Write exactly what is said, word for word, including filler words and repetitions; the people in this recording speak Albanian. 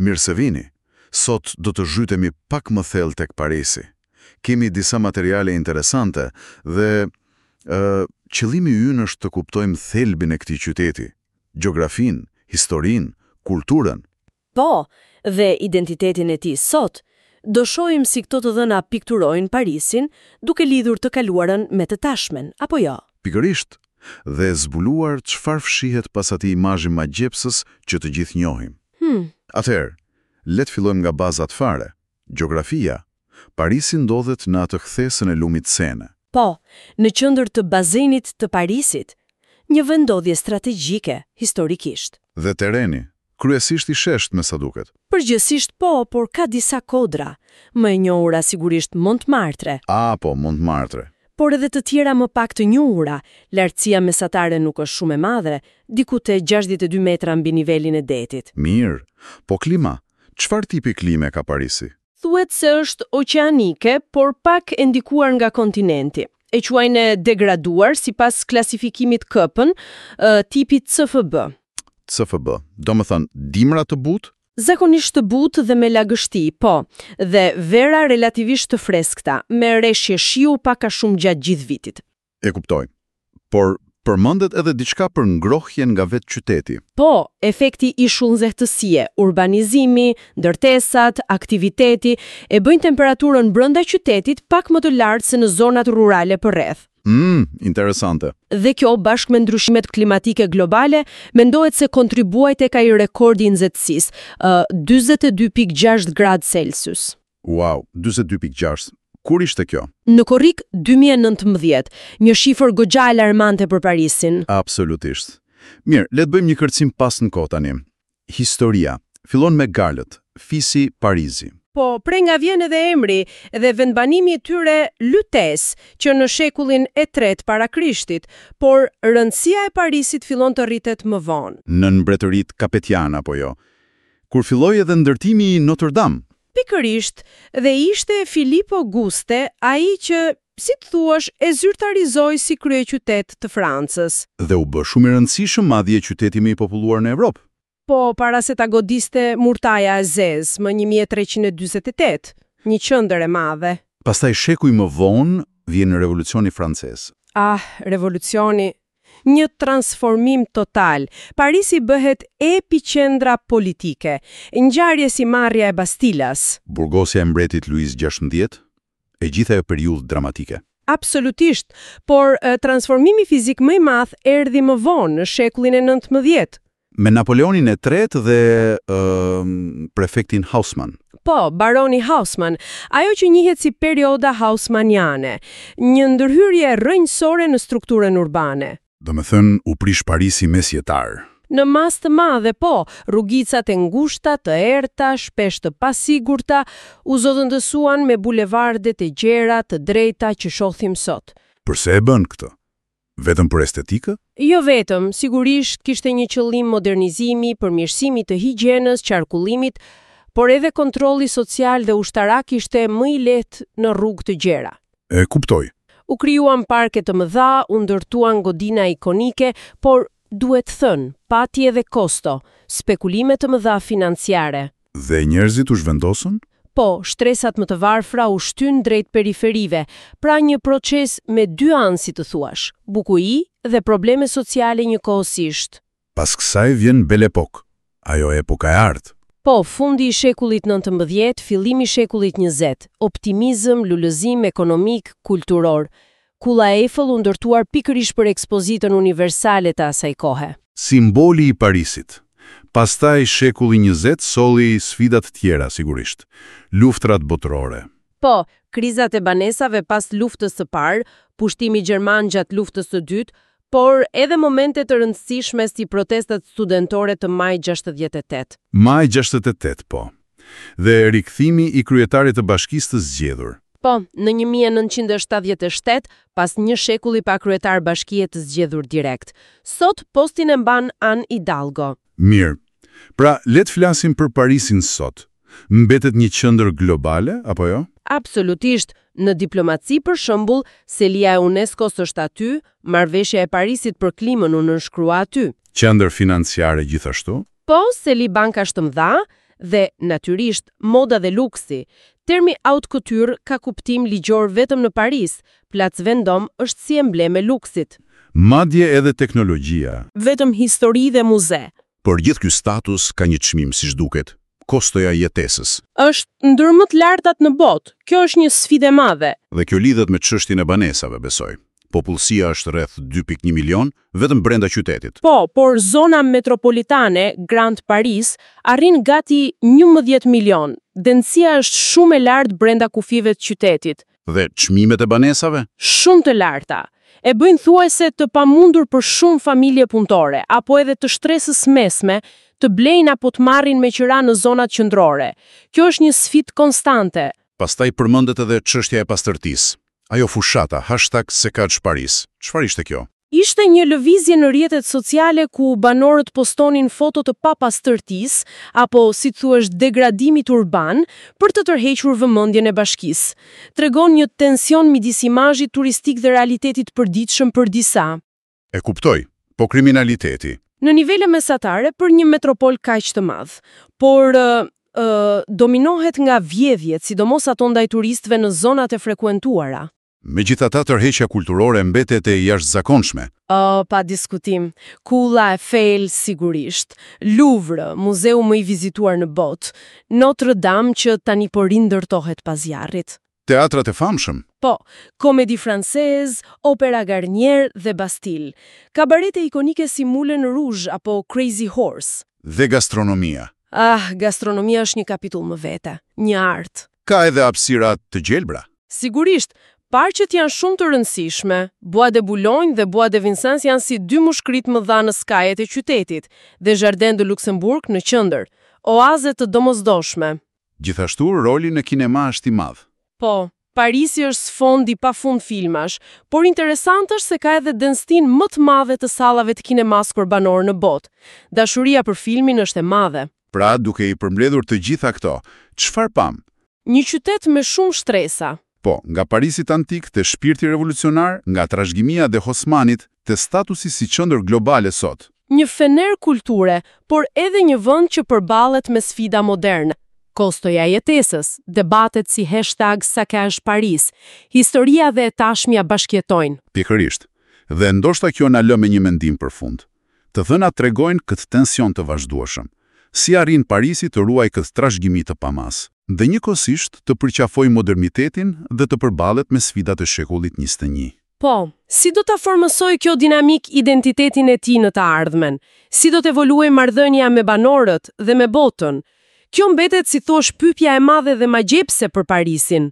Mirë se vini. Sot do të zhytemi pak më thellë tek Parisi. Kemi disa materiale interesante dhe ë qëllimi ynë është të kuptojmë thelbin e këtij qyteti, gjeografinë, historinë, kulturën. Po, dhe identitetin e tij sot. Do shohim si këto të dhëna pikturojnë Parisin, duke lidhur të kaluarën me të tashmen, apo jo? Pikërisht, dhe zbuluar çfarë fshihet pas atij imazhi magjepsës që të gjithë njohim. Hmm. Atëherë, le të fillojmë nga bazat fare. Gjeografia. Parisi ndodhet në atë kthesën e lumit Sene. Po, në qendër të bazenit të Parisit. Një vendndodhje strategjike, historikisht. Dhe tereni, kryesisht i shesht me sa duket. Përgjithsisht po, por ka disa kodra. Më e njohura sigurisht Montmartre, A, po, Montmartre. por edhe të tjera më pak të njohura. Lartësia mesatare nuk është shumë e madhe, diku te gjashtëdhjetë e dy metra mbi nivelin e detit. Mirë. Po klima, çfarë tipi klime ka Parisi? Thuhet se është oqeanike, por pak e ndikuar nga kontinenti. E quajnë e degraduar sipas klasifikimit Köppen, ë, tipi C F B. C F B. Do më thënë, dimra të butë? Zakonisht të butë dhe me lagështi, po, dhe vera relativisht të freskëta, me reshje shiu pak a shumë gjatë gjithë vitit. E kuptoj. Por përmendet edhe diçka për ngrohjen nga vetë qyteti. Po, efekti ishull nxehtësie, urbanizimi, ndërtesat, aktiviteti, e bëjnë temperaturën brenda qytetit pak më të lartë se në zonat rurale përreth. Mm, interesante. Dhe kjo, bashkë me ndryshimet klimatike globale, mendohet se kontribuoi tek ai rekordi i nxehtësisë, ë dyzet e dy pikë gjashtë gradë Celsius. Wow, dyzet e dy pikë gjashtë. Kur ishte kjo? Në korrik dy mijë e nëntëmbëdhjetë, një shifër goxha alarmante për Parisin. Absolutisht. Mirë, le të bëjmë një kërcim pas në kohë tani. Historia fillon me Galët, fisi Parisi. Po, prej nga vjen edhe emri dhe vendbanimi i tyre Lutèce, që në shekullin e tretë para Krishtit, por rëndësia e Parisit fillon të rritet më vonë. Nën mbretërit Kapetian, apo jo? Kur filloi edhe ndërtimi i Notre Dame. Pikërisht, dhe ishte Philippe Auguste ai që, si të thuash, e zyrtarizoi si kryeqytet të Francës. Dhe u bë shumë i rëndësishëm, madje qyteti më i populluar në Evropë. Po, para se ta godiste murtaja e zezë më një mijë e treqind e dyzet e tetë, një qendër e madhe. Pastaj shekuj më vonë vjen Revolucioni Francez. Ah, revolucioni. Një transformim total. Parisi bëhet epiqendra politike. Ngjarje si marrja e Bastilas. Burgosja e mbretit Louis gjashtëmbëdhjetë, e gjitha ajo periudhë dramatike. Absolutisht, por e, transformimi fizik më i madh erdhi më vonë, në shekullin e nëntëmbëdhjetë. Me Napoleonin e tretë dhe ë, prefektin Haussmann. Po, baroni Haussmann, ajo që njihet si perioda Haussmanniane, një ndërhyrje rrënjësore në strukturën urbane. Do me thënë, u prish Parisi mesjetar. Në masë të madhe, po, rrugicat e ngushta, të errta, shpesh të pasigurta, u zëvendësuan me bulevardet e gjera, të drejta që shohim sot. Përse e bën këtë? Vetëm për estetikë? Jo vetëm, sigurisht kishte një qëllim modernizimi, përmirësimi të higjienës, qarkullimit, por edhe kontrolli social dhe ushtarak ishte më i lehtë në rrugë të gjera. E kuptoj. U krijuan parke të mëdha, u ndërtuan godina ikonike, por duhet thënë, pati edhe kosto, spekulime të mëdha financiare. Dhe njerëzit u zhvendosën? Po, shtresat më të varfra u shtyn drejt periferive, pra një proces me dy anë, si të thuash, bukuri dhe probleme sociale njëkohësisht. Pas kësaj vjen Belle Époque, ajo epoka e artë. Po, fundi i shekullit nëntëmbëdhjetë, fillimi i shekullit njëzet, optimizëm, lulëzim ekonomik, kulturor. Kulla Eiffel u ndërtuar pikërisht për ekspozitën universale të asaj kohe. Simboli i Parisit. Pastaj shekulli njëzet solli sfidat tjera, sigurisht. Luftrat botërore. Po, krizat e banesave pas luftës së parë, pushtimi gjerman gjatë luftës së dytë, por edhe momente të rëndësishme si protestat studentore të maj gjashtëdhjetë e tetë. Maj gjashtëdhjetë e tetë, po. Dhe rikthimi i kryetarit të bashkisë të zgjedhur. Po, në një mijë e nëntëqind e shtatëdhjetë e shtatë, pas një shekulli pa kryetar bashkie të zgjedhur direkt. Sot postin e mban Anne Hidalgo. Mirë. Pra, le të flasim për Parisin sot. Mbetet një qendër globale, apo jo? Absolutisht, në diplomaci, për shembull, selia e UNESCO-s është aty, marrëveshja e Parisit për klimën u nënshkrua aty. Qendër financiare gjithashtu? Po, seli bankash të mëdha. Dhe, natyrisht, moda dhe luksi. Termi haute couture ka kuptim ligjor vetëm në Paris. Place Vendôme është si emblem e luksit. Madje edhe teknologjia. Vetëm histori dhe muze. Por gjithë ky status ka një çmim, siç duket, kostoja e jetesës. Është ndër më të lartat në botë. Kjo është një sfidë e madhe. Dhe kjo lidhet me çështjen e banesave, besoj. Popullsia është rreth dy pikë një milion vetëm brenda qytetit. Po, por zona metropolitane, Grand Paris, arrin gati njëmbëdhjetë milion. Dendësia është shumë e lartë brenda kufijve të qytetit. Dhe çmimet e banesave? Shumë të larta. E bëjnë thuajse të pamundur për shumë familje punëtore, apo edhe të shtresës mesme, të blejnë apo të marrin me qira në zonat qendrore. Kjo është një sfidë konstante. Pastaj përmendet edhe çështja e pastërtisë. Ajo fushata, hashtag Saccage Paris. Çfarë ishte kjo? Ishte një lëvizje në rrjetet sociale ku banorët postonin foto të papastërtisë, apo, si thuash, degradimit urban, për të tërhequr vëmendjen e bashkisë. Tregon një tension midis imazhit turistik dhe realitetit përditshëm për disa. E kuptoj, po kriminaliteti? Në nivele mesatare për një metropol kaq të madh, por ë, ë, dominohet nga vjedhjet, sidomos ato ndaj turistëve në zonat e frekuentuara. Megjithatë, tërheqja kulturore mbetet e jashtëzakonshme. O, pa diskutim. Kulla Eiffel, sigurisht. Louvre, muzeu më i vizituar në botë. Notre Dame që tani po rindërtohet pas zjarrit. Teatrat e famshëm. Po, Comédie Française, Opera Garnier dhe Bastille. Kabarete ikonike si Moulin Rouge apo Crazy Horse. Dhe gastronomia. Ah, gastronomia është një kapitull më vete, një art. Ka edhe hapësira të gjelbra. Sigurisht, parqet janë shumë të rëndësishme. Bois de Boulogne dhe Bois de Vincennes janë si dy mushkrit mëdha në skajet e qytetit dhe Jardin de Luxembourg në qendër. Oaze të domosdoshme. Gjithashtu, roli në kinema është i madh. Po, Parisi është sfond i pafund filmash, por interesant është se ka edhe denstin më të madhe të sallave të kinemas për banorë në botë. Dashuria për filmin është e madhe. Pra, duke i përmbledhur të gjitha këto, çfarë pam? Një qytet me shumë shtresa. Po, nga Parisit antik te shpirti revolucionar, nga trashëgimia dhe Haussmannit te statusi si qendër globale sot. Një fener kulture, por edhe një vend që përballet me sfida moderne. Kostoja e jetesës, debatet si hashtag Saccage Paris, historia dhe e tashmja bashkjetojnë. Pikërisht. Dhe ndoshta kjo na lë me një mendim për fund. Të dhënat tregojnë këtë tension të vazhdueshëm. Si arrin Parisi të ruaj këtë trashëgimi të pamas, dhe njëkohësisht të përqafojë modernitetin dhe të përballet me sfidat e shekullit njëzet e një. Po, si do ta formësoj kjo dinamik identitetin e tij në të ardhmen? Si do të evoluojë marrëdhënia me banorët dhe me botën? Kjo mbetet, si thosh, pyetja e madhe dhe magjepse për Parisin.